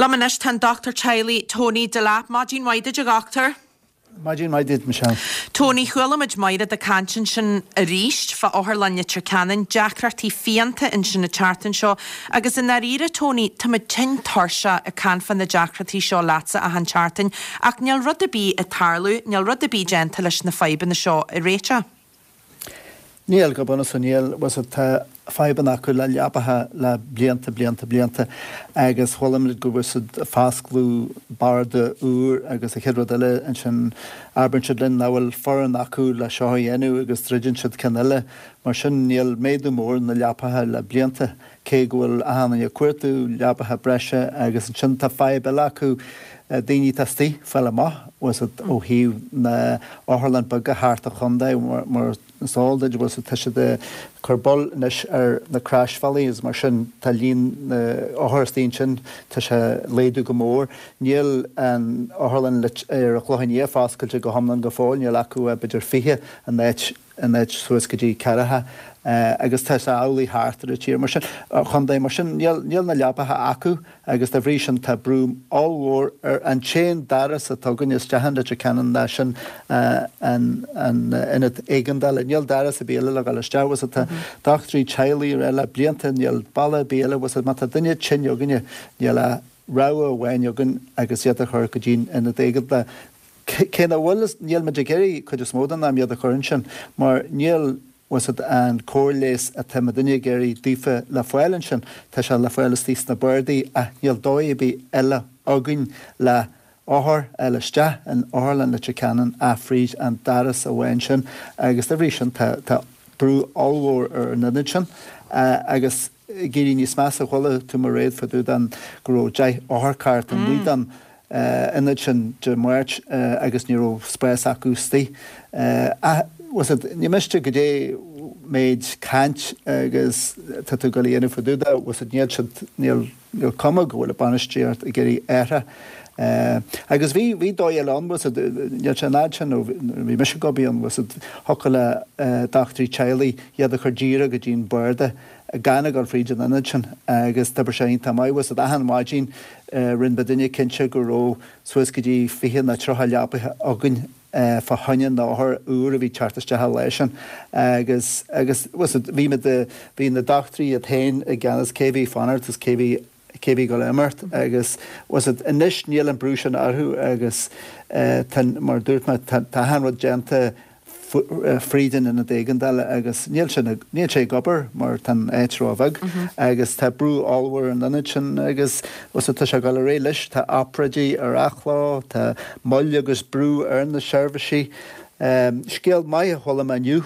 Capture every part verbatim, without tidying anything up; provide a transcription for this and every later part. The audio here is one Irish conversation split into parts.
Liom anois tá an dochtúir teaghlaigh Tony Delap. Maidin mhaith duit, a dhochtúir. Maidin mhaith duit, Michelle. Tony, chuala muid Máire ag caint ansin arís fá Otharlann Leitir Ceanainn, deacrachtaí fiánta ansin an tseachtain seo, agus i ndáiríre, Tony, tá muid tinn tuirseach ag caint fá na deacrachtaí seo leatsa achan tseachtain, ach níl rud ar bith ag tarlú, níl rud ar bith déanta leis na fadhbanna seo a réiteach. Níl, go bunúsach níl. Bhuel tá fadhbanna acu le leapacha le blianta, blianta, blianta agus chuala muid go bhfuil siad ag foscladh barda úr agus an chéad rud eile ansin abraíonn siad linn nach bhfuil foireann acu le seo a dhéanamh agus druideann siad ceann eile. Mar sin níl méadú mór na leapacha le blianta cé go bhfuil achan duine ag cuartú leapacha breise agus ansin tá fadhb eile acu daoine atá istigh fáil amach bhfuil siad ó thaobh na otharlann beaga thart an chontae mar is eol duit bhfuil tá siad ag cur bail anois ar na croisbhealaí agus mar sin tá líon na othar istigh ansin tá sé ag laghdú go mór. Níl an otharlann ar an Chlochán Liath foscailte go hiomlán go fóill, níl acu b'fhéidir fiche in áit in áit suas go dtí ceathracha agus tá sé amhlaidh thart ar an tír mar sin, chontae mar sin níl níl na leapacha acu agus dá bhrí sin tá brú ollmhór ar an t-aon doras atá againn isteach in Leitir Ceanainn ná sin an an ionad éigeandála. Níl doras ar bith eile le dhul isteach agus tá dochtúirí teaghlaigh ar le blianta níl bealach ar bith eile agus má tá duine tinn againne níl a rogha amháin againn agus iad a chur go dtí an ionad éigeandála. Cé nach bhfuil níl muid ag iarraidh cuid is mó den am iad a chur ansin mar níl bhfuil an cóir leighis atá muidinne ag iarraidh daofa le fáil ansin, tá sé le fáil istigh sna bardaí ach níl dóigh ar bith eile againn le othar a fháil isteach in Otharlann Leitir Ceanainn ach fríd an doras amháin sin agus dá bhrí sin tá tá brú ollmhór ar an ionad sin agus ag éirí níos measa chuala tú Mairéad fá dtaobh den go raibh deich otharcharr amuigh den ionad sin Dé Máirt agus ní raibh spás acu istigh. Ach bhfuil ní miste go dté méid caint agus tá tú ag dul a dhéanamh fá dtaobh de, bhfuil níl siad níl níl cuma go bhfuil an bainistíocht ag iarraidh athrú. Agus bhí bhí dóigh eile ann bhfuil níl sé an fhad sin ó bhí mise ag obair ann bhfuil thiocfadh le dochtúirí teaghlaigh iad a chur díreach go dtí an barda gan a dhul fríd an ionad sin agus d'oibrigh sé iontach maith bhfuil achan maidin rinne muidinne cinnte go raibh suas go dtí fiche nó tríocha leapacha againn fá choinne na n-othar úr a bhí teacht isteach an lá sin agus agus bhí muid bhí na dochtúirí iad féin i gceannas cé bhí fanacht agus cé bhí cé bhí ag imeacht agus was it anois níl an brú sin orthu agus tá mar dúirt mé tá achan rud déanta fríd an ionad éigeandála agus níl sin níl sé ag obair mar tá an áit róbheag agus tá brú ollmhór an ionad sin agus was tá sé ag dul ar aghaidh leis tá obráidí ar athló tá moill agus brú ar na seirbhísí. Scéal maith a chuala mé inniu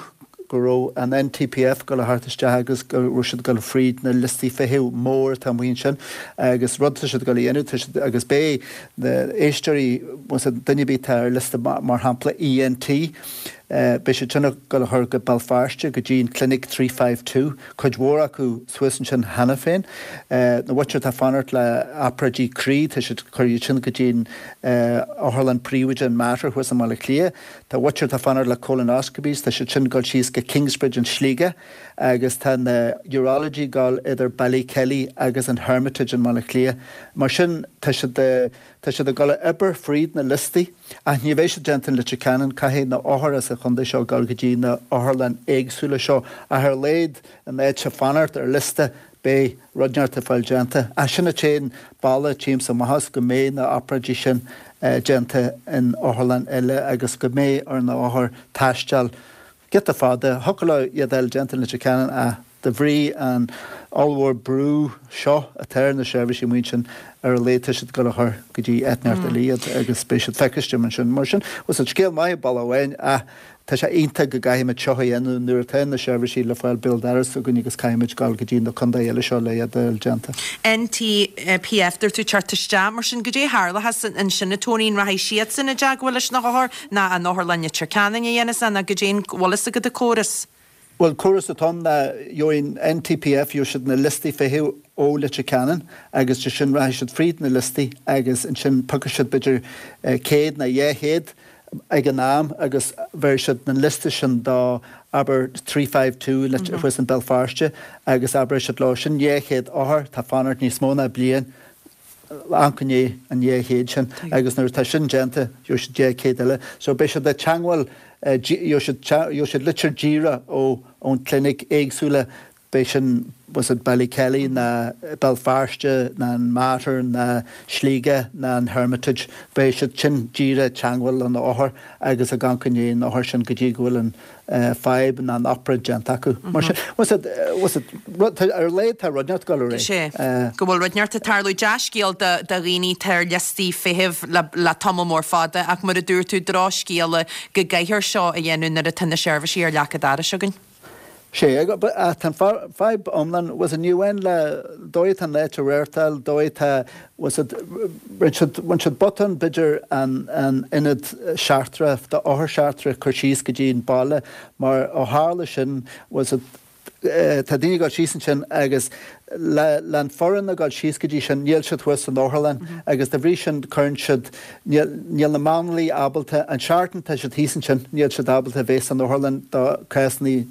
go raibh an N T P F ag dul a theacht isteach agus go raibh siad ag dul fríd na liostaí feithimh mór atá amuigh ansin agus rud tá siad ag dul a dhéanamh tá siad agus beidh na éisteoirí duine ar bith atá ar liosta mar shampla E N T beidh siad sin ag dul a chur go Béal Feirste go dtí an Clinic three five two, cuid mhór acu suas ansin cheana féin. Na muintir atá fanacht le obráidí croí tá siad chur iad sin go dtí an Otharlann Príobháideach an Mater thuas i mBaile Átha Cliath. Tá muintir atá fanacht le colonoscopies, tá siad sin ag dul síos go Kingsbridge in Sligeach agus tá na urology ag dul idir Ballykelly agus an Hermitage in Baile Átha Cliath. Mar sin tá siad tá siad ag dul a obair fríd na liostaí ach ní bheidh siad déanta in Leitir Ceanainn caithfidh na othair as an chontae seo dul go dtí na otharlann éagsúla seo ach ar a laghad an áit a fanacht ar liosta beidh rud inteacht ag fáil déanta. Ach sin an t-aon bealach tímsa amach as go mbeidh na obráidí sin déanta in otharlann eile agus go mbeidh ar na othair taisteal giota fada thiocfadh leo iad eile déanta in Leitir Ceanainn ach de bhrí an ollmhór brú seo atá ar na seirbhísí amuigh ansin ar a laghad tá siad ag dul a chur go dtí áit inteacht eile iad agus beidh siad feiciste ansin. Mar sin was an scéal maith bealach amháin ach tá sé iontach go gcaithfimid seo a dhéanamh nuair atá na seirbhísí le fáil béal dorais againn agus caithfimid dul go dtí na contaetha eile seo le iad a fháil déanta. N T P F dúirt tú teacht isteach mar sin goidé tharlóchas ansin a Tony an rachaidh siadsan i dteagmháil leis na hothair ná an Otharlann Leitir Ceanainn a dhéanas ná goidé an bhfuil fhios agat an córas. Well córas atá na gheobhaidh N T P F gheobhaidh siad na liostaí feithimh ó Leitir Ceanainn agus de sin rachaidh siad fríd na liostaí agus ansin piocfaidh siad b'fhéidir céad nó dhá chéad ag an am agus bheir siad na liosta sin do abair three five two thuas in Béal Feirste agus abair siad leo sin dhá chéad othar tá fanacht níos mó ná bliain. amharc i ndiaidh an dhá chéad sin agus nuair atá sin déanta gheobhaidh siad deich céad eile. So beidh siad ag teangmháil, gheobhaidh siad litir díreach ó ón clinic éagsúla, beidh sin was it Ballykelly ná Béal Feirste ná an Mater ná Sligeach ná an Hermitage, beidh siad sin díreach ag teangmháil le na othair agus ag amharc i ndiaidh na othair sin go dtí go bhfuil an fadhb ná an obráid déanta acu. Mar sin, was it, was it, ar a laghad tá rud inteacht ag dul ar aghaidh. Sea, go bhfuil rud inteacht ag tarlú. Dea-scéal do dhaoine atá ar liostaí feithimh le tamall mór fada ach mar a dúirt tú, drochscéala go gcaithfear seo a dhéanamh nuair atá na seirbhísí ar leac an dorais againn. Sea, ach tá an fadhb iomlán, was it, ní amháin le dóigh atá an áit á reáchtáil, dóigh atá, was it, rinne siad, bhain siad botún b'fhéidir an an ionad seachtrach, d'othair seachtrach a chur síos go dtí an baile mar ó tharla sin, was it, tá daoine ag dul síos ansin agus le le an foireann ag dul síos go dtí sin níl siad thuas san otharlann agus dá bhrí sin cuireann siad, níl níl na máinliaigh ábalta, an seachtain tá siad thíos ansin níl siad ábalta bheith san otharlann do cásanna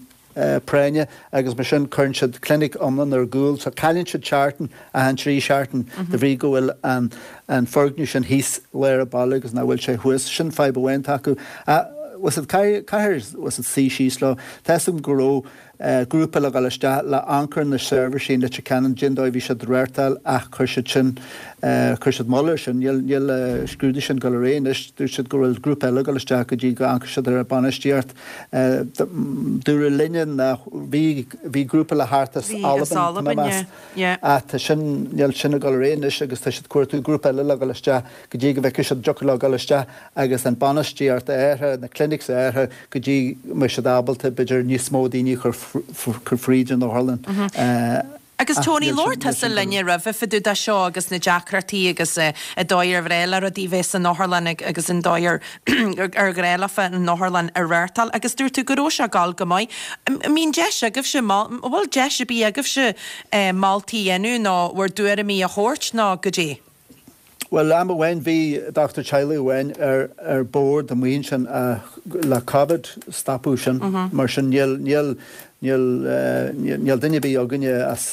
práinne agus mar sin cuireann siad clinic iomlán ar gcúl so cailleann siad seachtain achan trí seachtain de bhrí go bhfuil an an foirgneamh sin thíos lár an bhaile agus nach bhfuil sé thuas. Sin fadhb amháin atá acu. Was it caithfear was it suí síos leo. Tá 'fhios agam go raibh grúpa le dhul isteach le amharc ar na seirbhísí in Leitir Ceanainn cén dóigh a bhí siad reáchtáil ach chuir siad sin chuir siad moill air sin. Níl níl scrúdú sin ag dul ar aghaidh anois. Dúirt siad go bhfuil grúpa eile ag dul isteach go dtí go amharcfaidh siad ar an bainistíocht. Dúradh linne nach bhí bhí grúpa le theacht as Albain tá mé ag meas ach tá sin níl sin ag dul ar aghaidh anois agus tá siad ag cuartú grúpa eile le dhul isteach go dtí go bhfeicfidh siad an dtiocfadh leo dhul isteach agus an bainistíocht a athrú, na clinics a athrú go dtí go mbeidh siad ábalta b'fhéidir níos mó daoine a chur fríd an otharlann. Agus Tony, labhair tusa linne roimhe fá dtaobh de seo agus na deacrachtaí agus an dóigh ar bhreá le rudaí bheith san otharlann agus an dóigh ar ar ghnách leofa an otharlann a reáchtáil agus dúirt tú go raibh sé ag dul go maith. An mbíonn deis agaibhse, an bhfuil deis ar bith agaibhse moltaí a dhéanamh nó bhur dtuairimí a thabhairt nó goidé? Bhuel, am amháin bhí dochtúir teaghlaigh amháin ar ar bord amuigh ansin ach le Covid stopadh sin. Mar sin níl níl níl níl duine ar bith againne as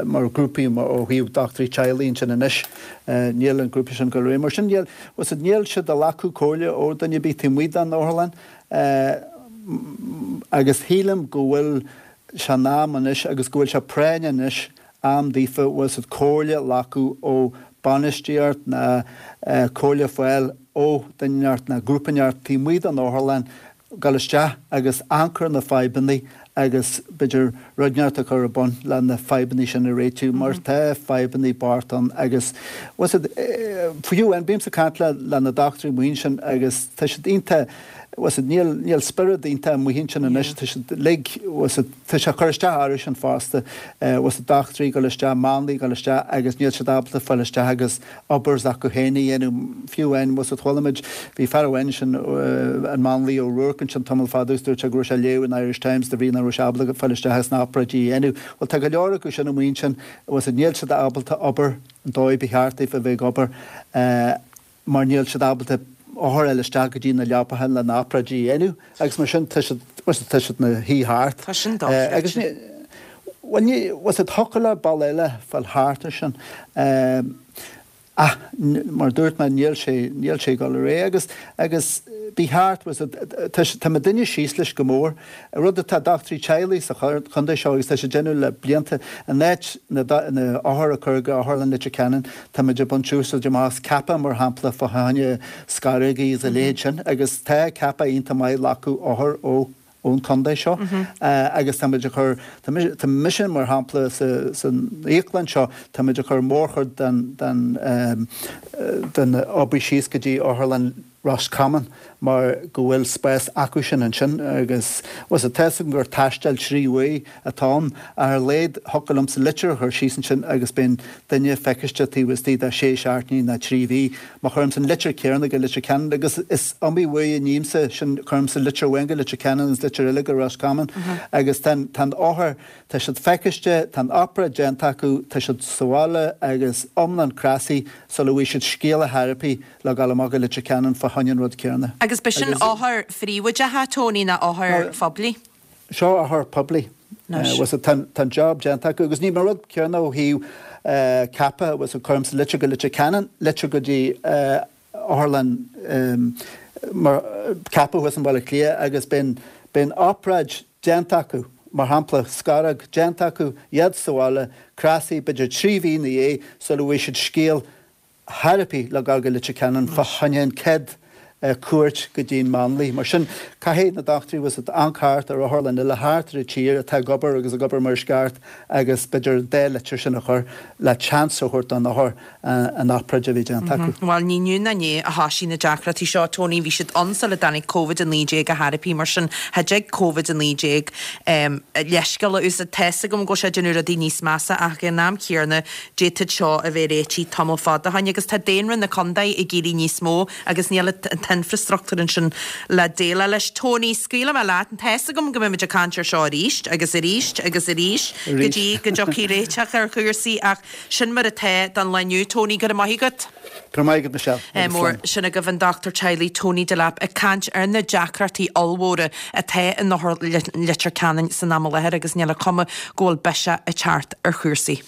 mar ghrúpaí ó thaobh dochtúirí teaghlaigh ansin anois. Níl an grúpa sin ag dul ar aghaidh. Mar sin níl bhfuil fhios níl siad ag glacadh comhairle ó duine ar bith taobh amuigh den otharlann agus shílim go bhfuil sé in am anois agus go bhfuil sé práinneach anois am daofa, bhfuil fhios agat, comhairle a ghlacadh ó bainistíocht ná comhairle a fháil ó duine inteacht ná grúpa inteacht taobh amuigh den otharlann, dul isteach agus amharc ar na fadhbanna agus b'fhéidir rud inteacht a chur ar bun le na fadhbanna sin a réitiú mar tá fadhbanna bocht ann agus bhfuil fhios agat, fiú amháin, bímse ag caint le le na dochtúirí amuigh ansin agus tá siad iontach, bhfuil fhios agat, níl níl spiorad iontach amuigh ansin anois, tá siad uilig, bhfuil fhios agat, tá sé ag cur isteach orthu sin fosta, bhfuil fhios agat, dochtúirí ag dul isteach, máinliaigh ag dul isteach agus níl siad ábalta fáil isteach agus obair s'acu féin a dhéanamh, fiú amháin, bhfuil fhios agat, chuala muid, bhí fear amháin ansin, an máinlia O'Rourke ansin tamall fada agus dúirt sé go raibh sé ag léamh an Irish Times de bhrí nach raibh sé ábalta fáil isteach agus na obráidí a dhéanamh. Bhuel tá go leor acu sin amuigh ansin, bhfuil fhios agat, níl siad ábalta obair an dóigh ba cheart daofa a bheith ag obair. mar níl siad ábalta othair a fháil isteach go dtí na leapacha le na obráidí a dhéanamh agus mar sin tá siad, bhuel tá siad ina shuí thart. Tá sin dochreidte. Agus ní, bhuel ní, bhfuil fhios agat, thiocfadh le bealach eile fáil thart ar sin ach mar a dúirt mé níl sé, níl sé ag dul ar aghaidh agus, agus ba cheart, bhfuil fhios agat, tá, tá muidinne síos leis go mór. Rud atá dochtúirí teaghlaigh sa chontae seo agus tá siad ag déanamh le blianta, in áit na othair a chur go Otharlann Leitir Ceanainn, tá muid ag baint úsáid amach as Cappagh mar shampla fá choinne scaireogaí agus a leithéid sin agus tá Cappagh iontach maith ag glacadh othar ó ón chontae seo agus tá muid ag cur, tá mise mar shampla san íoclann seo, tá muid ag cur mórchuid den den den obair síos go dtí Otharlann Ros Comáin mar go bhfuil spás acu sin ansin agus, bhuel, tá 'fhios agam gur taisteal trí uair atá ann ach ar a laghad thiocfadh liomsa litir a chur síos ansin agus beidh an duine feiciste taobh istigh de sé seachtainí ná trí mhí. Má chuirimse an litir céanna go Leitir Ceanainn agus is iomaí uair a nímse sin, cuirimse litir amháin go Leitir Ceanainn agus litir eile go Ros Comáin agus tá an, tá an othar, tá siad feiciste, tá an obráid déanta acu, tá siad sa bhaile agus iomlán cneasaithe sula bhfaighidh siad scéala ar bith le dhul amach go Leitir Ceanainn fá choinne an rud céanna. Agus b'shin Agus. othair phríobháideacha, Tony, ná othair phoiblí? Seo othair poiblí. Bhfuil fhios a'd, tá an job déanta acu agus ní mar rud céanna ó thaobh ceaptha, bhfuil fhios a'd, cuirimse litir go Leitir Ceanainn, litir go dtí otharlann mar ceapadh thuas i mBaile Átha Cliath agus bíonn bíonn obráid déanta acu, mar shampla, scaróg déanta acu, iad sa bhaile, cneasaithe b'fhéidir trí mhí ina dhiaidh sula bhfaighidh siad scéal chor ar bith le gabháil go Leitir Ceanainn fá choinne an chéad cuairt go dtí an máinlia. Mar sin, caithfidh na dochtúirí, bhfuil fhios a'd, amharc thart ar otharlann eile thart ar an tír atá ag obair agus ag obair mar is ceart agus b'fhéidir an dá litir sin a chur le chance a thabhairt don othar an obráid a bheith déanta acu. Bhuel, ní inniu ná inné a thoisigh na deacrachtaí seo, Tony, bhí siad ann sula dtáinig Covid a naoi déag ar chor ar bith, mar sin, cha dtig Covid a naoi déag leithscéal a úsáid. Tá's agam go bhfuil sé ag déanamh rudaí níos measa ach ag an am céanna d'fhéadfadh seo a bheith réitithe tamall fada ó shin agus tá daonra na contae ag éirí níos mó agus níl an t-infreastruchtúr ansin le déileáil leis. Tony, scaoilfidh mé leat, tá's agam go mbeimid ag caint ar seo arís agus arís agus arís go dtí go dtiocfaidh réiteach ar chúrsaí ach sin mar atá don lá inniu. Tony, go raibh maith agat. Go raibh maith agat, Michelle. Agus slán. Sin agaibh an dochtúir teaghlaigh Tony Delap ag caint ar na deacrachtaí ollmhóra atá in Otharlann Leitir Ceanainn san am i láthair agus níl an chuma go bhfuil biseach ag teacht ar chúrsaí.